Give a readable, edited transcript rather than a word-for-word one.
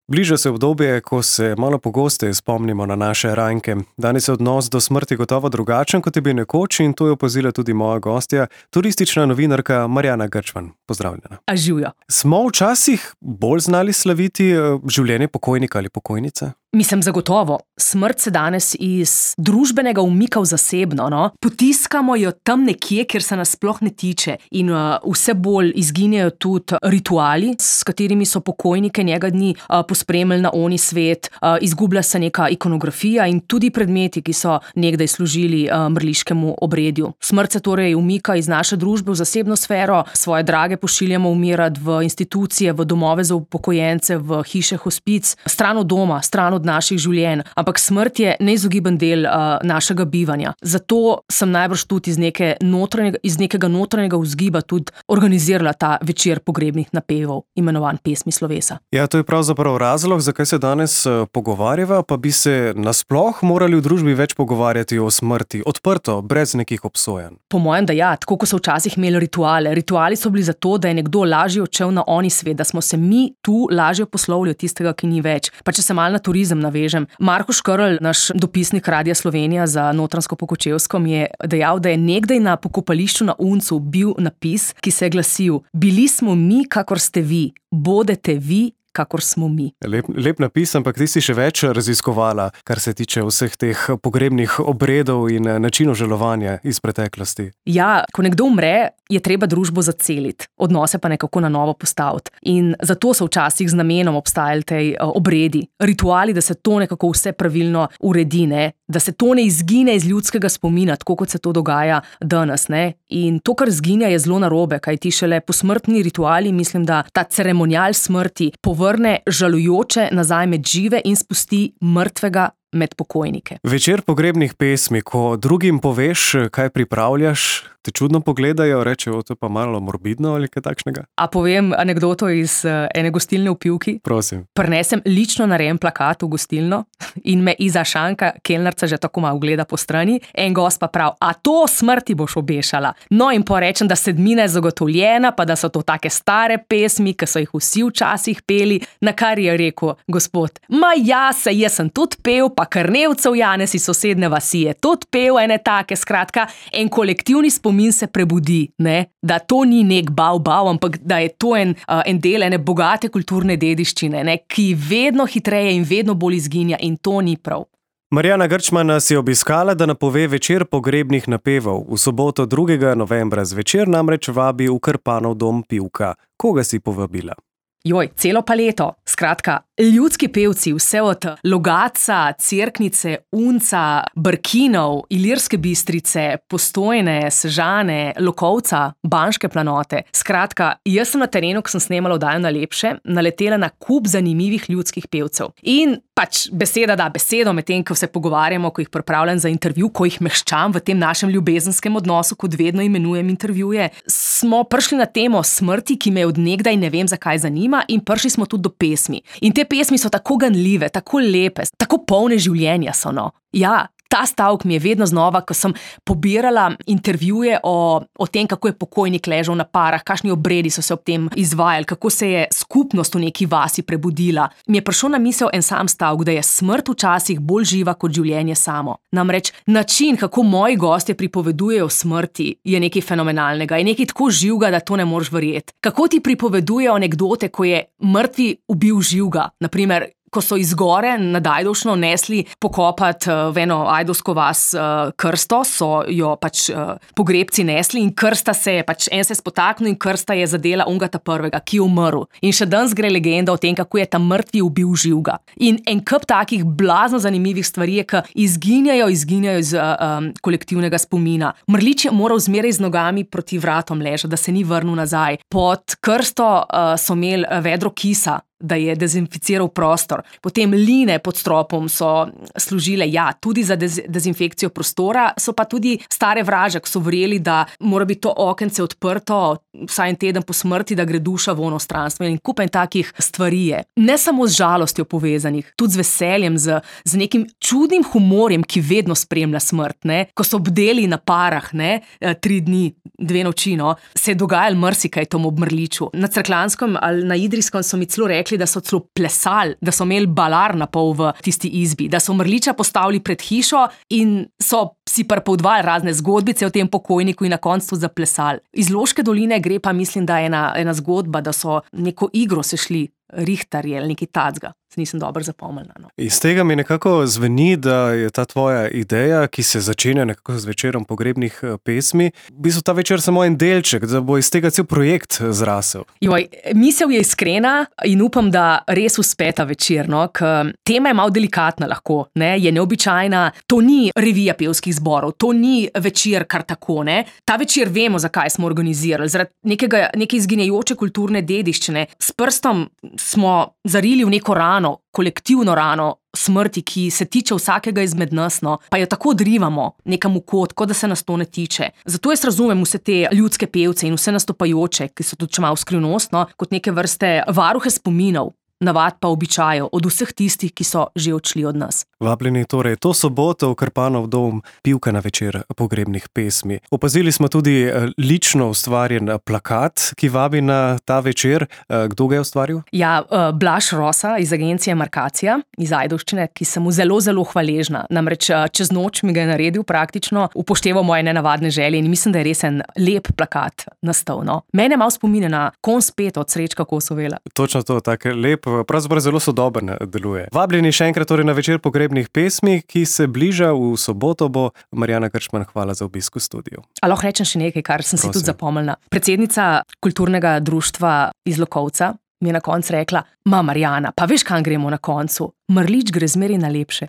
Bliža se obdobje, ko se malo pogosteje spomnimo na naše ranke. Danes je odnos do smrti gotovo drugačen, kot je bil nekoč, in to je opazila tudi moja gostja, turistična novinarka Marjana Grčman. Pozdravljena. A živjo. Smo včasih bolj znali slaviti življenje pokojnika ali pokojnice? Mislim, zagotovo. Smrt se danes iz družbenega umika v zasebno, no? Potiskamo jo tam nekje, kjer se nas sploh ne tiče. In vse bolj izginjajo tudi rituali, s katerimi so pokojnike njega dni pospremili na oni svet. Izgublja se neka ikonografija in tudi predmeti, ki so nekdaj služili mrliškemu obredju. Smrt se torej umika iz naše družbe v zasebno sfero, svoje drage pošiljamo umirati v institucije, v domove za upokojence, v hiše hospic, stran od doma, stran od naših življenj, ampak smrt je neizogiben del našega bivanja. Zato sem najbrž tudi iz nekega notranjega vzgiba tudi organizirala ta večer pogrebnih napevov, imenovan Pesmi slovesa. Ja, to je pravzaprav razlog, zakaj se danes pogovarjava, pa bi se nasploh morali v družbi več pogovarjati o smrti, odprto, brez nekih obsojanj. Po mojem, da ja, tako kot so včasih imeli rituale. Rituali so bili zato, da je nekdo lažje odšel na oni svet, da smo se mi tu lažje poslovili od tistega, ki ni več. Pa če se malo na turizem navežem. Marko Škrlj, naš dopisnik Radia Slovenija za Notranjsko-Pokočevsko, mi je dejal, da je nekdaj na pokopališču na Uncu bil napis, ki se je glasil: "Bili smo mi, kakor ste vi, bodete vi, kakor smo mi." Lep napis, ampak ti si še več raziskovala, kar se tiče vseh teh pogrebnih obredov in načinov žalovanja iz preteklosti. Ja, ko nekdo umre, je treba družbo zaceliti, odnose pa nekako na novo postaviti. In zato so včasih z namenom obstajali tej obredi, rituali, da se to nekako vse pravilno uredi, ne? Da se to ne izgine iz ljudskega spomina, tako kot se to dogaja danes, ne? In to, kar izginja, je zelo narobe, kajti šele posmrtni rituali, mislim, da ta ceremonial smrti povrne žalujoče nazaj med žive in spusti mrtvega med pokojnike. Večer pogrebnih pesmi, ko drugim poveš, kaj pripravljaš, te čudno pogledajo, rečejo, to je pa malo morbidno ali kaj takšnega? A povem anekdoto iz ene gostilne v Pivki? Prosim. Prinesem lično narejen plakat v gostilno in me Iza Šanka, kelnarca, že tako malo gleda po strani. En gost pa prav: "A to smrti boš obešala?" No, in porečem, da sedmina je zagotovljena, pa da so to take stare pesmi, ki so jih vsi včasih peli, na kar je rekel gospod: "Ma ja, jaz sem tudi pel, pa Krnevcev Janez iz sosedne vasi je tudi pel ene take." Skratka, en kolektivni spomin se prebudi, ne? Da to ni nek bav, ampak da je to en del ene bogate kulturne dediščine, ne? Ki vedno hitreje in vedno bolj izginja, in to ni prav. Marjana Grčman nas je obiskala, da napove večer pogrebnih napevov. V soboto 2. novembra zvečer namreč vabi v Krpanov dom Pivka. Koga si povabila? Joj, celo paleto. Skratka, ljudski pevci, vse od Logatca, Cerknice, Unca, Brkinov, Ilirske Bistrice, Postojne, Sežane, Lokovca, Banške planote. Skratka, jaz sem na terenu, ko sem snemala oddajo Najlepše, naletela na kup zanimivih ljudskih pevcev. In pač beseda da besedo, medtem ko se pogovarjamo, ko jih pripravljam za intervju, ko jih mehčam v tem našem ljubezenskem odnosu, kot vedno imenujem intervjuje, smo prišli na temo smrti, ki me od nekdaj ne vem zakaj zanima, in prišli smo tudi do pesmi. In te pesmi so tako ganljive, tako lepe, tako polne življenja so, no. Ja, ta stavek mi je vedno znova, ko sem pobirala intervjuje o tem, kako je pokojnik ležal na parah, kakšni obredi so se ob tem izvajali, kako se je skupnost v neki vasi prebudila. Mi je prišel na misel en sam stavek, da je smrt včasih bolj živa kot življenje samo. Namreč način, kako moji gostje pripovedujejo o smrti, je nekaj fenomenalnega, je nekaj tako živega, da to ne moreš verjeti. Kako ti pripovedujejo anekdote, ko je mrtvi ubil živega, naprimer, ko so iz gore nad Ajdovšno nesli pokopati v eno ajdovsko vas krsto, so jo pač pogrebci nesli in krsta se je, pač en se je spotaknil in krsta je zadela onega ta prvega, ki je umrl. In še danes gre legenda o tem, kako je ta mrtvi ubil živega. In en kup takih blazno zanimivih stvari je, ki izginjajo iz kolektivnega spomina. Mrlič je moral zmeraj z nogami proti vratom ležati, da se ni vrnil nazaj. Pod krsto so imeli vedro kisa, da je dezinficiral prostor. Potem line pod stropom so služile, ja, tudi za dezinfekcijo prostora, so pa tudi stare vraže, ko so verjeli, da mora biti to okence odprto vsaj en teden po smrti, da gre duša v ono stranstvo, in kup takih stvari je. Ne samo z žalostjo povezanih, tudi z veseljem, z nekim čudnim humorjem, ki vedno spremlja smrt, ne. Ko so bdeli na parah, ne, 3 dni, 2 noči, no, se je dogajalo marsikaj tomu ob Mrliču. Na Cerkljanskem ali na Idrijskem so mi celo rekli, rekli, da so celo plesali, da so imeli balar na pol v tisti izbi, da so mrliča postavili pred hišo in so si pripovedovali razne zgodbice o tem pokojniku in na koncu zaplesali. Iz Loške doline gre pa, mislim, da je ena zgodba, da so neko igro se šli rihtarji ali nekaj tacga. Se nisem dobro zapomnila. No. Iz tega mi nekako zveni, da je ta tvoja ideja, ki se začenja nekako z večerom pogrebnih pesmi, v bistvu ta večer samo en delček, da bo iz tega cel projekt zrasel. Joj, misel je iskrena in upam, da res uspe ta večer, no, ker tema je malo delikatna lahko, ne, je neobičajna, to ni revija pevskih zborov, to ni večer kar tako, ne. Ta večer vemo, zakaj smo organizirali, zaradi neke izginjajoče kulturne dediščine. S prstom smo zarili v neko rano, kolektivno rano smrti, ki se tiče vsakega izmed nas, no, pa jo tako odrivamo nekam v kot, kot da se nas to ne tiče. Zato jaz razumem vse te ljudske pevce in vse nastopajoče, ki so tudi malo skrivnostno, kot neke vrste varuhe spominov, navad pa običajev od vseh tistih, ki so že odšli od nas. Vabljeni torej to soboto v Krpanov dom, pivka na večer pogrebnih pesmi. Opazili smo tudi lično ustvarjen plakat, ki vabi na ta večer. Kdo ga je ustvaril? Ja, Blaž Rosa iz agencije Markacija, iz Ajdovščine, ki sem mu zelo, zelo hvaležna. Namreč čez noč mi ga je naredil praktično, upošteval moje nenavadne želje in mislim, da je res en lep plakat nastal. No. Mene malo spominja na Konj spet od Srečka Kosovela. Točno to, tak lep, pravzaprav zelo sodoben deluje. Vabljeni še enkrat torej na večer pogrebnih pesmi, ki se bliža v soboto, bo Marjana Grčman, hvala za obisk v studiu. A lahko rečem še nekaj, kar sem si tudi zapomnila. Predsednica kulturnega društva iz Lokovca mi je na koncu rekla: Marjana, pa veš, kam gremo na koncu? Mrlič gre zmeraj na lepše.